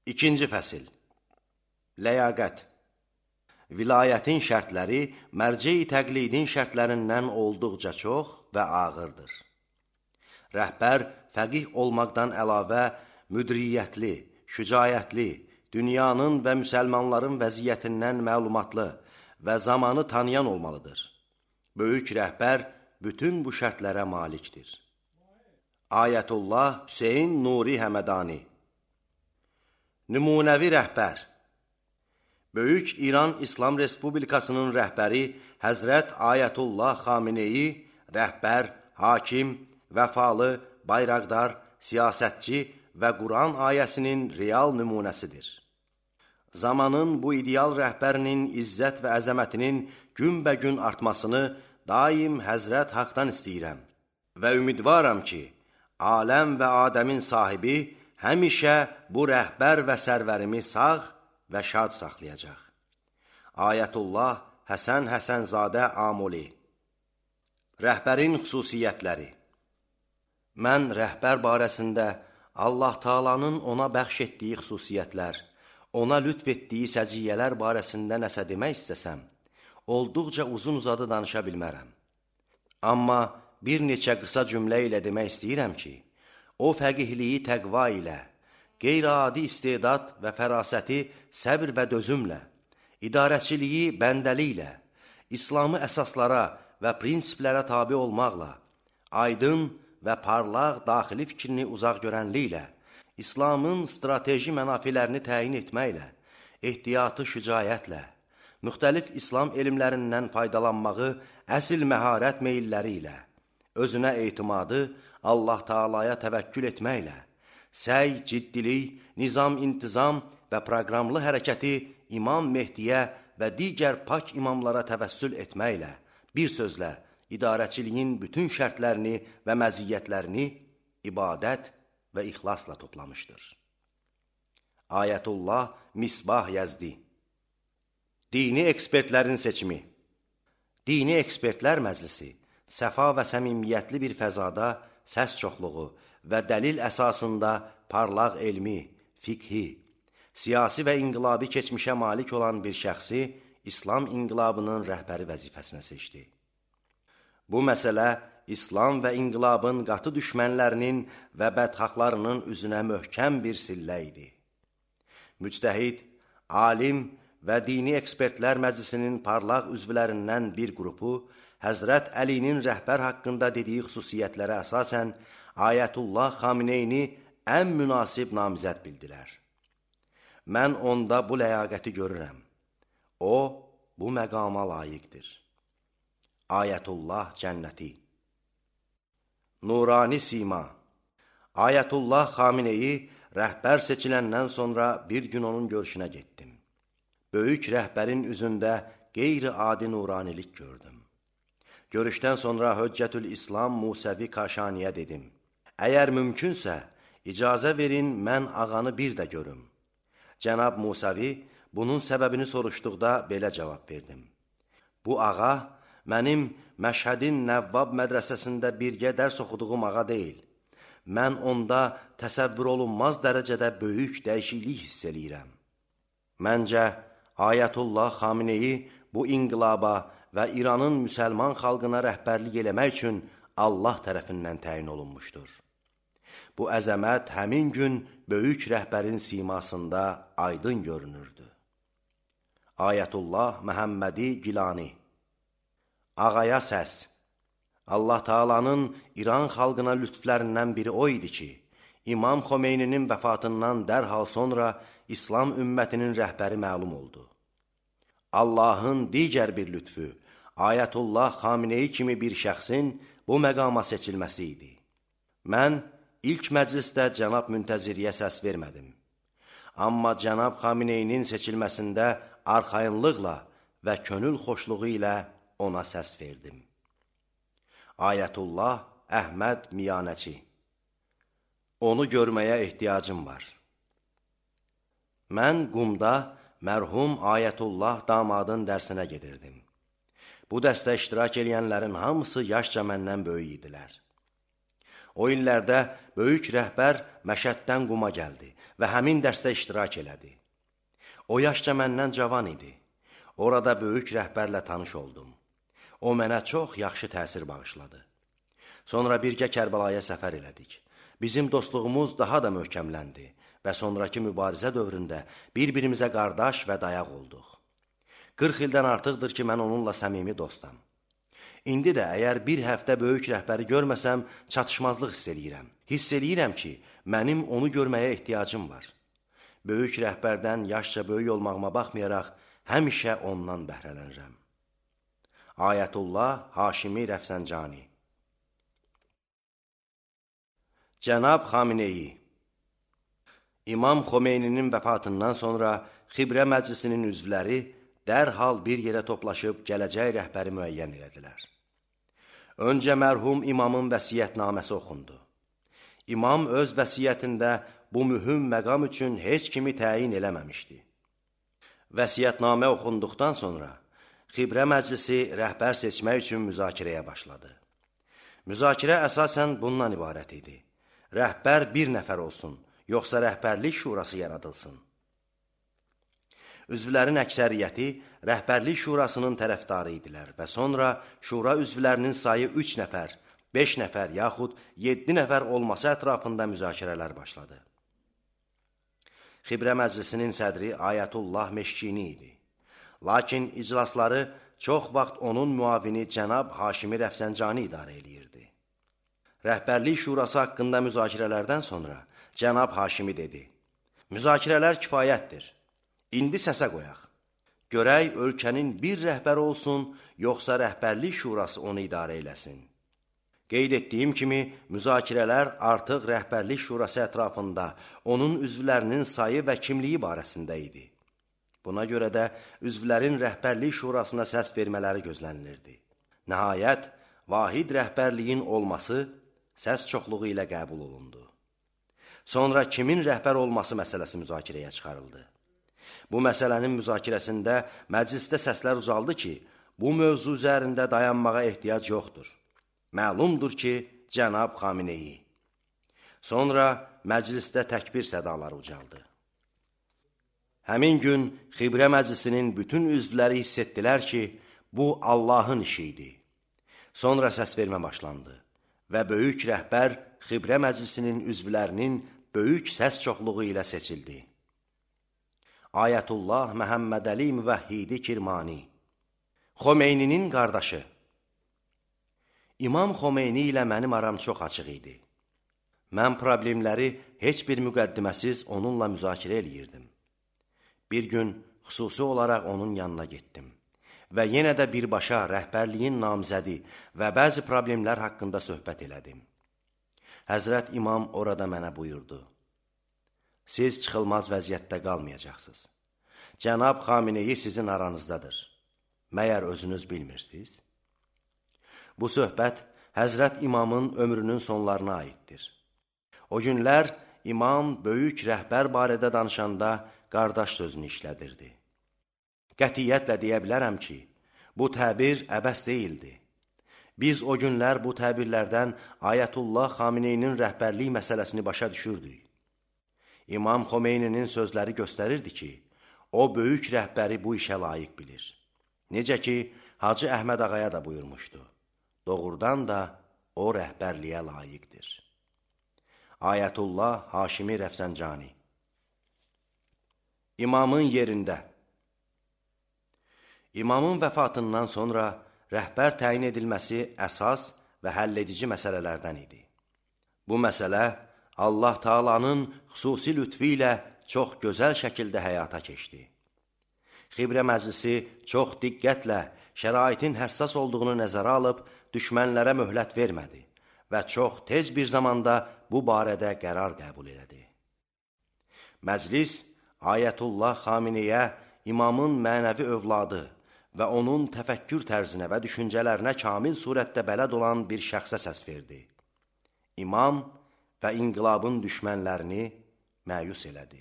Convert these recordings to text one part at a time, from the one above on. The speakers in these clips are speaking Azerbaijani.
İkinci fəsil. Ləyaqət. Vilayətin şərtləri mərcə-i təqlidin şərtlərindən olduqca çox və ağırdır. Rəhbər fəqih olmaqdan əlavə müdriyyətli, şücayətli, dünyanın və müsəlmanların vəziyyətindən məlumatlı və zamanı tanıyan olmalıdır. Böyük rəhbər bütün bu şərtlərə malikdir. Ayətullah Hüseyn Nuri Həmədani. Nümunəvi rəhbər. Böyük İran İslam Respublikasının rəhbəri Həzrət Ayətullah Xameneyi rəhbər, hakim, vəfalı, bayraqdar, siyasətçi və Quran ayəsinin real nümunəsidir. Zamanın bu ideal rəhbərinin izzət və əzəmətinin günbəgün artmasını daim Həzrət Haqdan istəyirəm və ümidvaram ki, aləm və Adəmin sahibi həmişə bu rəhbər və sərvərimi sağ və şad saxlayacaq. Ayətullah Həsən Həsənzadə Amuli. Rəhbərin xüsusiyyətləri. Mən rəhbər barəsində Allah Taalanın ona bəxş etdiyi xüsusiyyətlər, ona lütf etdiyi səciyyələr barəsində nəsə demək istəsəm, olduqca uzun-uzadı danışa bilmərəm. Amma bir neçə qısa cümlə ilə demək istəyirəm ki, o fəqihliyi təqva ilə, qeyri-adi istedad və fərasəti səbr və dözümlə, idarəçiliyi bəndəliklə, İslamı əsaslara və prinsiplərə tabi olmaqla, aydın və parlaq daxili fikrini uzaq görənliklə, İslamın strateji mənafilərini təyin etməklə, ehtiyatı şücayətlə, müxtəlif İslam elmlərindən faydalanmağı əsil məharət meyilləri ilə, özünə etimadı Allah Taalaya təvəkkül etməklə, səy, ciddilik, nizam-intizam və proqramlı hərəkəti İmam Mehdiyə və digər pak imamlara təvəssül etməklə, bir sözlə, idarəçiliyin bütün şərtlərini və məziyyətlərini ibadət və ixlasla toplamışdır. Ayətullah Misbah Yəzdi. Dini ekspertlərin seçimi. Dini ekspertlər məclisi səfa və səmimiyyətli bir fəzada səs çoxluğu və dəlil əsasında parlaq elmi, fiqhi, siyasi və inqilabi keçmişə malik olan bir şəxsi İslam inqilabının rəhbəri vəzifəsinə seçdi. Bu məsələ İslam və inqilabın qatı düşmənlərinin və bədxahlarının üzünə möhkəm bir sillə idi. Müctəhid, alim və dini ekspertlər məclisinin parlaq üzvlərindən bir qrupu Həzrət Əlinin rəhbər haqqında dediyi xüsusiyyətlərə əsasən Ayətullah Xameneyni ən münasib namizəd bildilər. Mən onda bu ləyaqəti görürəm. O, bu məqama layiqdir. Ayətullah Cənnəti. Nurani Sima. Ayətullah Xameneyi rəhbər seçiləndən sonra bir gün onun görüşünə getdim. Böyük rəhbərin üzündə qeyri-adi nuranilik gördüm. Görüşdən sonra Höccətül İslam Musəvi Kaşaniyə dedim. Əgər mümkünsə, icazə verin mən ağanı bir də görüm. Cənab Musəvi bunun səbəbini soruşduqda belə cavab verdim. Bu ağa mənim Məşhədin Nəvvab mədrəsəsində birgə dərs oxuduğum ağa deyil. Mən onda təsəvvür olunmaz dərəcədə böyük dəyişiklik hiss eləyirəm. Məncə, Ayətullah Xameneyi bu inqilaba və İranın müsəlman xalqına rəhbərlik eləmək üçün Allah tərəfindən təyin olunmuşdur. Bu əzəmət həmin gün böyük rəhbərin simasında aydın görünürdü. Ayətullah Məhəmmədi Gilani. Ağaya səs. Allah Taalanın İran xalqına lütflərindən biri o idi ki, İmam Xomeyninin vəfatından dərhal sonra İslam ümmətinin rəhbəri məlum oldu. Allahın digər bir lütfü, Ayətullah Xameneyi kimi bir şəxsin bu məqama seçilməsi idi. Mən ilk məclisdə cənab Müntəziriyə səs vermədim. Amma cənab Xameneyinin seçilməsində arxayınlıqla və könül xoşluğu ilə ona səs verdim. Ayətullah Əhməd Miyanəçi. Onu görməyə ehtiyacım var. Mən Qumda mərhum Ayətullah damadın dərsinə gedirdim. Bu dəstə iştirak edənlərin hamısı yaşca məndən böyük idilər. O illərdə böyük rəhbər Məşəddən Quma gəldi və həmin dərsdə iştirak elədi. O yaşca məndən cavan idi. Orada böyük rəhbərlə tanış oldum. O mənə çox yaxşı təsir bağışladı. Sonra birgə Kərbəlaya səfər elədik. Bizim dostluğumuz daha da möhkəmləndi və sonraki mübarizə dövründə bir-birimizə qardaş və dayaq olduq. 40 ildən artıqdır ki, mən onunla səmimi dostam. İndi də əgər bir həftə böyük rəhbəri görməsəm, çatışmazlıq hiss eləyirəm. Hiss eləyirəm ki, mənim onu görməyə ehtiyacım var. Böyük rəhbərdən yaşca böyük olmağıma baxmayaraq, həmişə ondan bəhrələnirəm. Ayətullah Haşimi Rəfsəncani. Cənab Xameneyi. İmam Xomeyninin vəfatından sonra Xibrə Məclisinin üzvləri dərhal bir yerə toplaşıb gələcək rəhbəri müəyyən elədilər. Öncə mərhum imamın vəsiyyətnaməsi oxundu. İmam öz vəsiyyətində bu mühüm məqam üçün heç kimi təyin eləməmişdi. Vəsiyyətnamə oxunduqdan sonra Xibrə Məclisi rəhbər seçmək üçün müzakirəyə başladı. Müzakirə əsasən bundan ibarət idi. Rəhbər bir nəfər olsun, yoxsa rəhbərlik şurası yaradılsın. Üzvlərin əksəriyyəti rəhbərlik şurasının tərəfdarı idilər və sonra şura üzvlərinin sayı 3 nəfər, 5 nəfər yaxud 7 nəfər olması ətrafında müzakirələr başladı. Xibrə Məclisinin sədri Ayətullah Meşkini idi. Lakin iclasları çox vaxt onun müavini cənab Haşimi Rəfsəncani idarə eləyirdi. Rəhbərlik şurası haqqında müzakirələrdən sonra cənab Haşimi dedi: "Müzakirələr kifayətdir. İndi səsə qoyaq. Görək ölkənin bir rəhbəri olsun, yoxsa rəhbərlik şurası onu idarə eləsin." Qeyd etdiyim kimi, müzakirələr artıq rəhbərlik şurası ətrafında onun üzvlərinin sayı və kimliyi barəsində idi. Buna görə də üzvlərin rəhbərlik şurasına səs vermələri gözlənilirdi. Nəhayət, vahid rəhbərliyin olması səs çoxluğu ilə qəbul olundu. Sonra kimin rəhbər olması məsələsi müzakirəyə çıxarıldı. Bu məsələnin müzakirəsində məclisdə səslər uzaldı ki, bu mövzu üzərində dayanmağa ehtiyac yoxdur. Məlumdur ki, cənab Xameneyi. Sonra məclisdə təkbir sədaları ucaldı. Həmin gün Xibrə Məclisinin bütün üzvləri hiss etdilər ki, bu Allahın işi idi. Sonra səs vermə başlandı və böyük rəhbər Xibrə Məclisinin üzvlərinin böyük səs çoxluğu ilə seçildi. Ayətullah Məhəmməd Əli Müvəhhidi Kirmani. Xomeyninin qardaşı. İmam Xomeyni ilə mənim aram çox açıq idi. Mən problemləri heç bir müqəddiməsiz onunla müzakirə eləyirdim. Bir gün xüsusi olaraq onun yanına getdim və yenə də birbaşa rəhbərliyin namizədi və bəzi problemlər haqqında söhbət elədim. Həzrət İmam orada mənə buyurdu: "Siz çıxılmaz vəziyyətdə qalmayacaqsınız. Cənab Xameneyi sizin aranızdadır. Məyər özünüz bilmirsiniz?" Bu söhbət Həzrət İmamın ömrünün sonlarına aiddir. O günlər İmam böyük rəhbər barədə danışanda qardaş sözünü işlədirdi. Qətiyyətlə deyə bilərəm ki, bu təbir əbəs deyildi. Biz o günlər bu təbirlərdən Ayətullah Xameneyinin rəhbərlik məsələsini başa düşürdük. İmam Xomeyninin sözləri göstərirdi ki, o böyük rəhbəri bu işə layiq bilir. Necə ki, Hacı Əhməd Ağaya da buyurmuşdu. Doğrudan da o rəhbərliyə layiqdir. Ayətullah Haşimi Rəfsəncani. İmamın yerində. İmamın vəfatından sonra rəhbər təyin edilməsi əsas və həlledici məsələlərdən idi. Bu məsələ Allah Taala'nın xüsusi lütfi ilə çox gözəl şəkildə həyata keçdi. Xibrə Məclisi çox diqqətlə şəraitin həssas olduğunu nəzərə alıb düşmənlərə möhlət vermədi və çox tez bir zamanda bu barədə qərar qəbul elədi. Məclis Ayətullah Xameneyə imamın mənəvi övladı və onun təfəkkür tərzinə və düşüncələrinə kamil surətdə bələd olan bir şəxsə səs verdi. İmam və inqilabın düşmənlərini məyus elədi.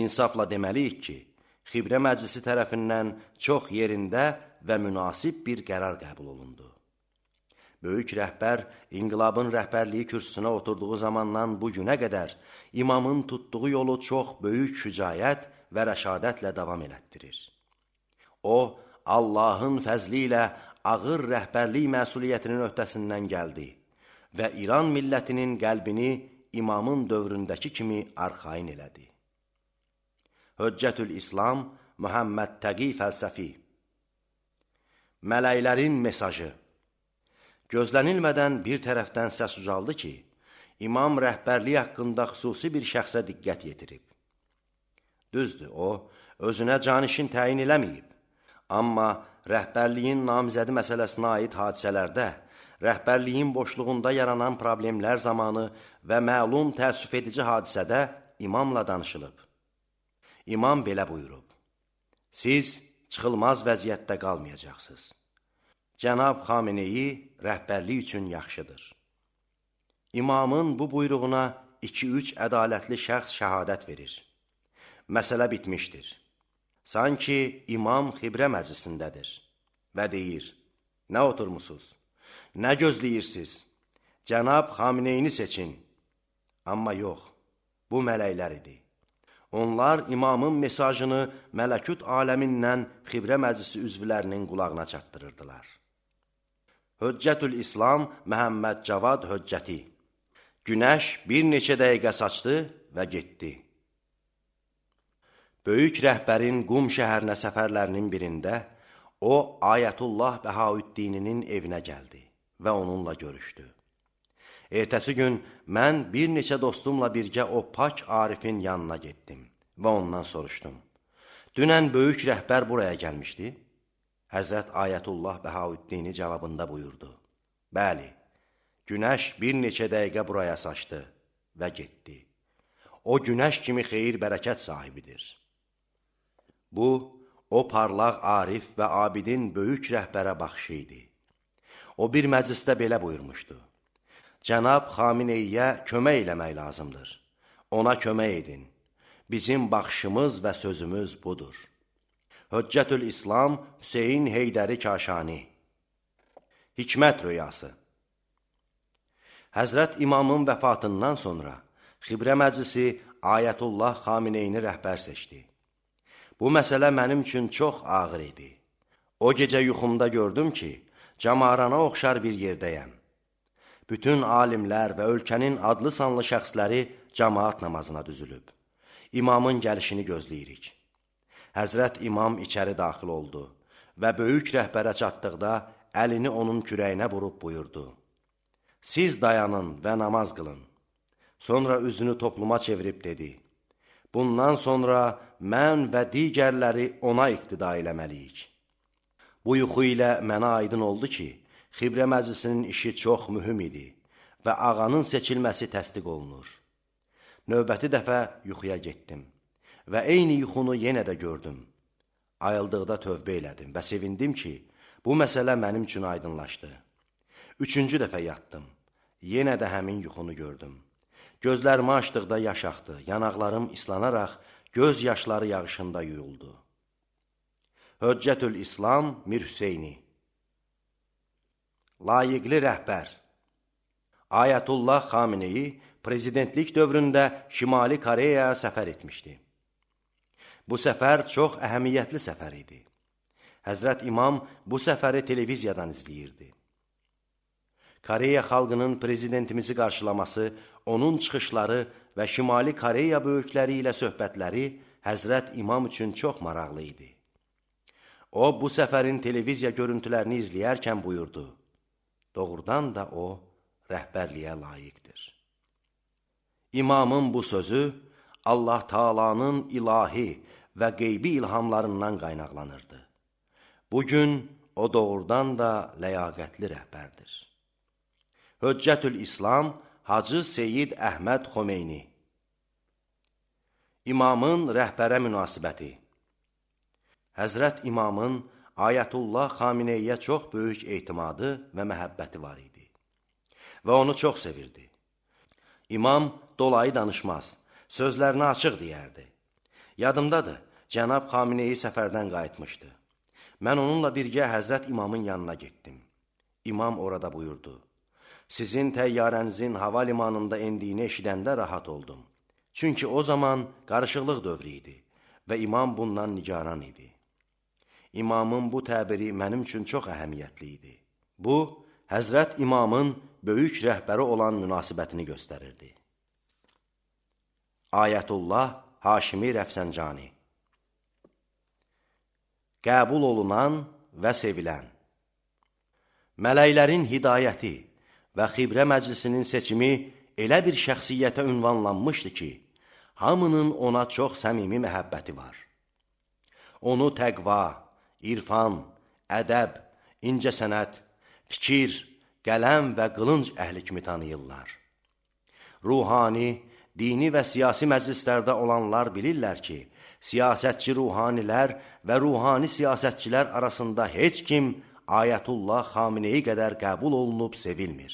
İnsafla deməliyik ki, Xibrə Məclisi tərəfindən çox yerində və münasib bir qərar qəbul olundu. Böyük rəhbər inqilabın rəhbərliyi kürsüsünə oturduğu zamandan bu günə qədər imamın tutduğu yolu çox böyük şücaət və rəşadətlə davam elətdirir. O, Allahın fəzli ilə ağır rəhbərlik məsuliyyətinin öhdəsindən gəldi və İran millətinin qəlbini imamın dövründəki kimi arxain elədi. Hüccətül İslam Muhammed Təqi Fəlsəfi. Mələklərin mesajı. Gözlənilmədən bir tərəfdən səs ucaldı ki, imam rəhbərliyi haqqında xüsusi bir şəxsə diqqət yetirib. Düzdür, o, özünə canişin təyin eləməyib. Amma rəhbərliyin namizədi məsələsinə aid hadisələrdə, rəhbərliyin boşluğunda yaranan problemlər zamanı və məlum təəssüf edici hadisədə imamla danışılıb. İmam belə buyurub: siz çıxılmaz vəziyyətdə qalmayacaqsınız. Cənab Xameneyi rəhbərlik üçün yaxşıdır. İmamın bu buyruğuna 2-3 ədalətli şəxs şəhadət verir. Məsələ bitmişdir. Sanki imam xibrə məclisindədir və deyir: nə oturmusunuz? Nə gözləyirsiniz? Cənab Xameneyini seçin. Amma yox, bu mələklər idi. Onlar imamın mesajını mələkut aləmindən xibrə məclisi üzvlərinin qulağına çatdırırdılar. Hüccətül İslam Məhəmməd Cavad Hüccəti. Günəş bir neçə dəqiqə saçdı və getdi. Böyük rəhbərin Qum şəhərinə səfərlərinin birində o, Ayətullah Bəhaüddininin evinə gəldi və onunla görüşdü. Ertəsi gün mən bir neçə dostumla birgə o pak Arifin yanına getdim və ondan soruşdum: dünən böyük rəhbər buraya gəlmişdi? Həzrət Ayətullah Bəhaüddini cavabında buyurdu: bəli, günəş bir neçə dəqiqə buraya saçdı və getdi. O günəş kimi xeyir bərəkət sahibidir. Bu, o parlaq Arif və abidin böyük rəhbərə baxışı idi. O bir məclisdə belə buyurmuşdu: Cənab Xameneyiyə kömək eləmək lazımdır. Ona kömək edin. Bizim baxışımız və sözümüz budur. Hüccətül İslam Hüseyin Heydəri Kaşani. Hikmət rüyası. Həzrət İmamın vəfatından sonra Xibrə Məclisi Ayətullah Xameneyini rəhbər seçdi. Bu məsələ mənim üçün çox ağır idi. O gecə yuxumda gördüm ki, camarana oxşar bir yerdəyəm. Bütün alimlər və ölkənin adlı sanlı şəxsləri cəmaat namazına düzülüb. İmamın gəlişini gözləyirik. Həzrət İmam içəri daxil oldu və böyük rəhbərə çatdıqda əlini onun kürəyinə vurub buyurdu: siz dayanın və namaz qılın. Sonra üzünü topluma çevirib dedi: bundan sonra mən və digərləri ona iqtida eləməliyik. Bu yuxu ilə mənə aydın oldu ki, Xibrə Məclisinin işi çox mühüm idi və ağanın seçilməsi təsdiq olunur. Növbəti dəfə yuxuya getdim və eyni yuxunu yenə də gördüm. Ayıldıqda tövbə elədim və sevindim ki, bu məsələ mənim üçün aydınlaşdı. 3-cü dəfə yatdım. Yenə də həmin yuxunu gördüm. Gözlərimi açdıqda yaş axdı, yanaqlarım islanaraq göz yaşları yağışında yuyuldu. Hüccətül İslam Mir Hüseyni. Layiqli rəhbər. Ayətullah Xameneyi prezidentlik dövründə Şimali Koreyaya səfər etmişdi. Bu səfər çox əhəmiyyətli səfər idi. Həzrət İmam bu səfəri televiziyadan izləyirdi. Koreya xalqının prezidentimizi qarşılaması, onun çıxışları və Şimali Koreya böyükləri ilə söhbətləri Həzrət İmam üçün çox maraqlı idi. O, bu səfərin televiziya görüntülərini izləyərkən buyurdu: doğrudan da o, rəhbərliyə layiqdir. İmamın bu sözü Allah Taala'nın ilahi və qeybi ilhamlarından qaynaqlanırdı. Bugün o doğrudan da ləyaqətli rəhbərdir. Hüccətül İslam Hacı Seyyid Əhməd Xomeyni. İmamın rəhbərə münasibəti. Həzrət İmamın Ayətullah Xameneyiyə çox böyük etimadı və məhəbbəti var idi və onu çox sevirdi. İmam dolayı danışmaz, sözlərini açıq deyərdi. Yadımdadır, Cənab Xameneyi səfərdən qayıtmışdı. Mən onunla birgə Həzrət İmamın yanına getdim. İmam orada buyurdu: Sizin təyyarənizin hava limanında endiyini eşidəndə rahat oldum. Çünki o zaman qarışıqlıq dövrü idi və imam bundan nigaran idi. İmamın bu təbiri mənim üçün çox əhəmiyyətli idi. Bu, Həzrət İmamın böyük rəhbəri olan münasibətini göstərirdi. Ayətullah Haşimi Rəfsəncani. Qəbul olunan və sevilən. Mələklərin hidayəti və xibrə məclisinin seçimi elə bir şəxsiyyətə ünvanlanmışdı ki, hamının ona çox səmimi məhəbbəti var. Onu təqva, irfan, ədəb, incəsənət, fikir, qələm və qılınc əhli kimi tanıyırlar. Ruhani, dini və siyasi məclislərdə olanlar bilirlər ki, siyasətçi ruhanilər və ruhani siyasətçilər arasında heç kim Ayətullah Xameneyi qədər qəbul olunub sevilmir.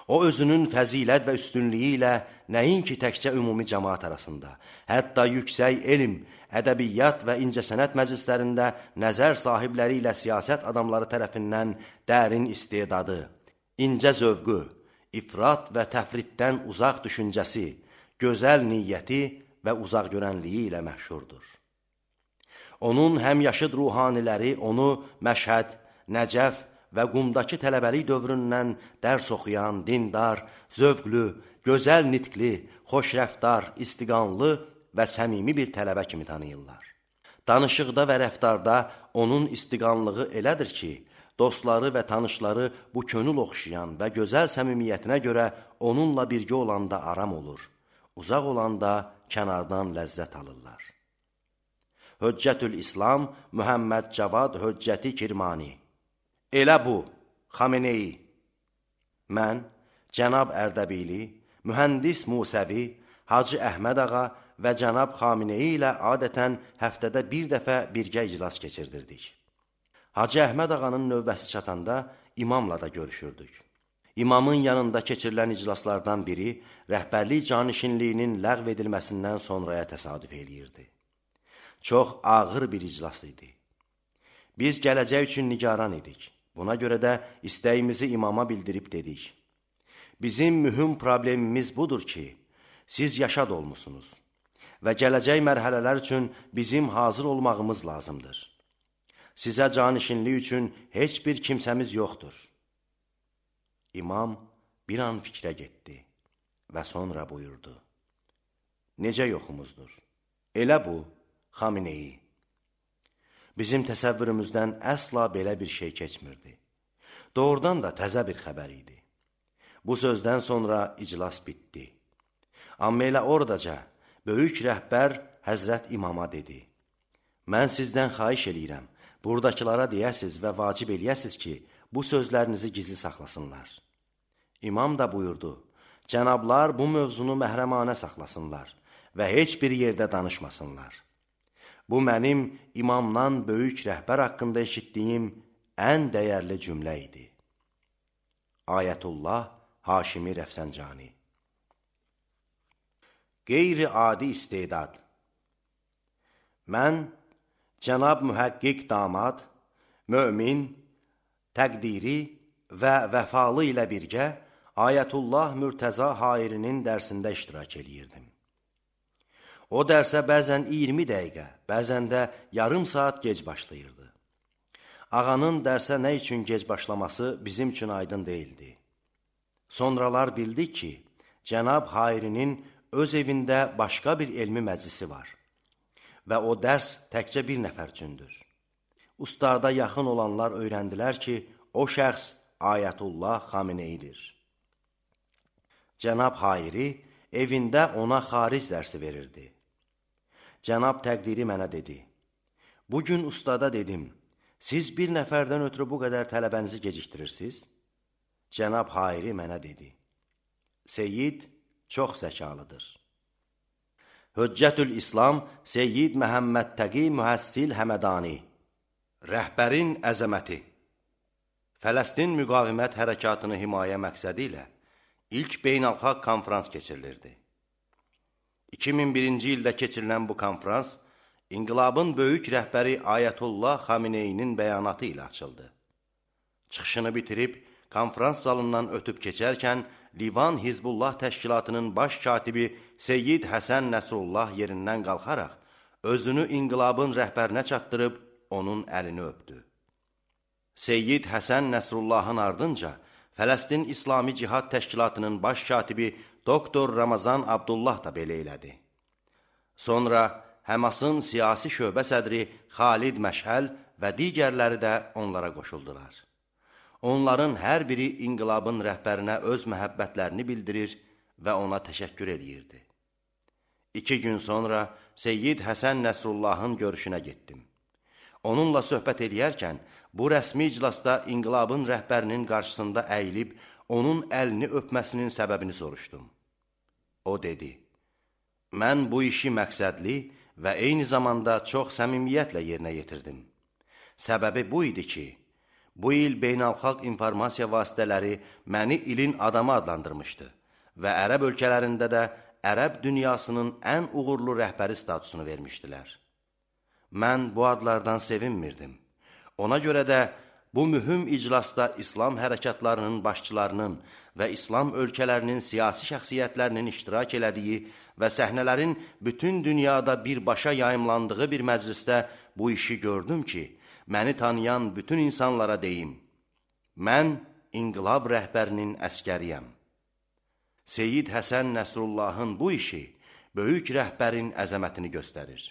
O, özünün fəzilət və üstünlüyü ilə nəinki təkcə ümumi cəmaat arasında, hətta yüksək elm, ədəbiyyat və incəsənət məclislərində nəzər sahibləri ilə siyasət adamları tərəfindən dərin istedadı, incə zövqü, ifrat və təfritdən uzaq düşüncəsi, gözəl niyyəti və uzaq görənliyi ilə məşhurdur. Onun həmyaşıd ruhaniləri onu Məşhəd, Nəcəf və Qumdakı tələbəlik dövründən dərs oxuyan, dindar, zövqlü, gözəl nitqli, xoşrəftar, istiqanlı və səmimi bir tələbə kimi tanıyırlar. Danışıqda və rəftarda onun istiqanlığı elədir ki, dostları və tanışları bu könül oxşayan və gözəl səmimiyyətinə görə onunla birgə olanda aram olur, uzaq olanda kənardan ləzzət alırlar. Höccətül İslam Mühəmməd Cavad Höccəti Kirmani. Elə bu, Xameneyi. Mən, Cənab Ərdəbili, Mühəndis Musəvi, Hacı Əhməd ağa və Cənab Xameneyi ilə adətən həftədə bir dəfə birgə iclas keçirdirdik. Hacı Əhməd ağanın növbəsi çatanda imamla da görüşürdük. İmamın yanında keçirilən iclaslardan biri rəhbərlik canişinliyinin ləğv edilməsindən sonraya təsadüf eləyirdi. Çox ağır bir iclas idi. Biz gələcək üçün nigaran idik. Buna görə də istəyimizi imama bildirib dedik. Bizim mühüm problemimiz budur ki, siz yaşad olmusunuz və gələcək mərhələlər üçün bizim hazır olmağımız lazımdır. Sizə canişinlik üçün heç bir kimsəmiz yoxdur. İmam bir an fikrə getdi və sonra buyurdu. Necə yoxumuzdur? Elə bu, Xameneyi. Bizim təsəvvürümüzdən əsla belə bir şey keçmirdi. Doğrudan da təzə bir xəbər idi. Bu sözdən sonra iclas bitdi. Amma elə oradaca böyük rəhbər Həzrət İmama dedi. Mən sizdən xahiş eləyirəm, buradakılara deyəsiz və vacib eləyəsiz ki, bu sözlərinizi gizli saxlasınlar. İmam da buyurdu, cənablar bu mövzunu məhrəmanə saxlasınlar və heç bir yerdə danışmasınlar. Bu mənim imamdan böyük rəhbər haqqında eşitdiyim ən dəyərli cümlə idi. Ayətullah Haşimi Rəfsəncani. Qeyri-adi istedad. Mən, Cənab Mühəqqiq Damad, mömin, təqdiri və vəfalı ilə birgə Ayətullah Mürtəza Hairinin dərsində iştirak eləyirdim. O dərsə bəzən 20 dəqiqə, bəzən də yarım saat gec başlayırdı. Ağanın dərsə nə üçün gec başlaması bizim üçün aydın deyildi. Sonralar bildik ki, Cənab Hairinin öz evində başqa bir elmi məclisi var və o dərs təkcə bir nəfər üçündür. Ustada yaxın olanlar öyrəndilər ki, o şəxs Ayətullah Xameneyidir. Cənab Hairi evində ona xaric dərsi verirdi. Cənab təqdiri mənə dedi, bugün ustada dedim, siz bir nəfərdən ötürü bu qədər tələbənizi gecikdirirsiniz? Cənab Hairi mənə dedi, Seyyid çox zəkalıdır. Höccətül İslam Seyyid Məhəmməd Təqi Mühəssil Həmədani. Rəhbərin əzəməti. Fələstin müqavimət hərəkatını himayə məqsədi ilə ilk beynəlxalq konfrans keçirilirdi. 2001-ci ildə keçirilən bu konfrans İnqilabın böyük rəhbəri Ayətullah Xameneyinin bəyanatı ilə açıldı. Çıxışını bitirib, konferans zalından ötüb keçərkən, Livan Hizbullah təşkilatının baş katibi Seyyid Həsən Nəsrullah yerindən qalxaraq, özünü inqilabın rəhbərinə çatdırıb, onun əlini öpdü. Seyyid Həsən Nəsrullahın ardınca, Fələstin İslami Cihad Təşkilatının baş katibi Doktor Ramazan Abdullah da belə elədi. Sonra Həmasın siyasi şöbə sədri Xalid Məşəl və digərləri də onlara qoşuldular. Onların hər biri inqilabın rəhbərinə öz məhəbbətlərini bildirir və ona təşəkkür edirdi. 2 gün sonra Seyyid Həsən Nəsrullahın görüşünə getdim. Onunla söhbət edərkən, bu rəsmi iclasda inqilabın rəhbərinin qarşısında əyilib, onun əlini öpməsinin səbəbini soruşdum. O dedi, mən bu işi məqsədli və eyni zamanda çox səmimiyyətlə yerinə yetirdim. Səbəbi bu idi ki, bu il beynəlxalq informasiya vasitələri məni ilin adamı adlandırmışdı və ərəb ölkələrində də ərəb dünyasının ən uğurlu rəhbəri statusunu vermişdilər. Mən bu adlardan sevinmirdim. Ona görə də bu mühüm iclasda İslam hərəkatlarının başçılarının və İslam ölkələrinin siyasi şəxsiyyətlərinin iştirak elədiyi və səhnələrin bütün dünyada birbaşa yayımlandığı bir məclisdə bu işi gördüm ki, məni tanıyan bütün insanlara deyim, mən inqilab rəhbərinin əskəriyəm. Seyyid Həsən Nəsrullahın bu işi böyük rəhbərin əzəmətini göstərir.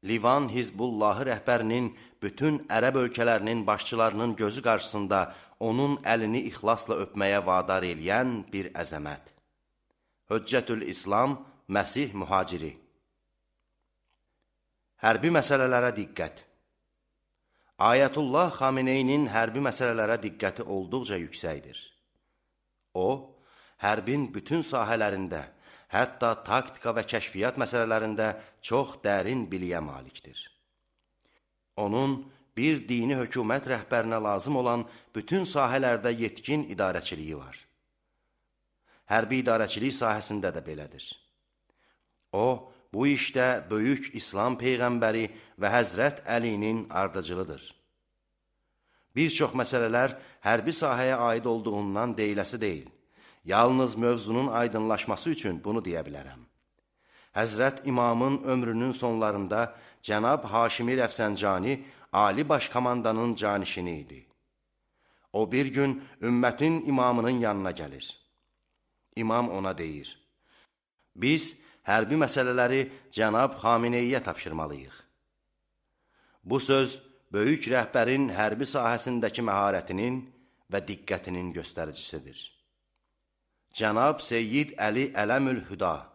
Livan Hizbullahı rəhbərinin bütün ərəb ölkələrinin başçılarının gözü qarşısında onun əlini ixlasla öpməyə vadar eləyən bir əzəmət. Höccətül İslam, Məsih Mühaciri. Hərbi məsələlərə diqqət. Ayətullah Xameneyinin hərbi məsələlərə diqqəti olduqca yüksəkdir. O, hərbin bütün sahələrində, hətta taktika və kəşfiyyat məsələlərində çox dərin biliyə malikdir. Onun bir dini hökumət rəhbərinə lazım olan bütün sahələrdə yetkin idarəçiliyi var. Hərbi idarəçilik sahəsində də belədir. O, bu işdə böyük İslam Peyğəmbəri və Həzrət Əlinin ardıcılıdır. Bir çox məsələlər hərbi sahəyə aid olduğundan deyiləsi deyil. Yalnız mövzunun aydınlaşması üçün bunu deyə bilərəm. Həzrət İmamın ömrünün sonlarında Cənab Haşimi Rəfsəncani Ali Başkomandanın canişini idi. O bir gün ümmətin imamının yanına gəlir. İmam ona deyir, biz hərbi məsələləri Cənab Xameneyiyə tapşırmalıyıq. Bu söz, böyük rəhbərin hərbi sahəsindəki məharətinin və diqqətinin göstəricisidir. Cənab Seyyid Əli Ələmül Hüda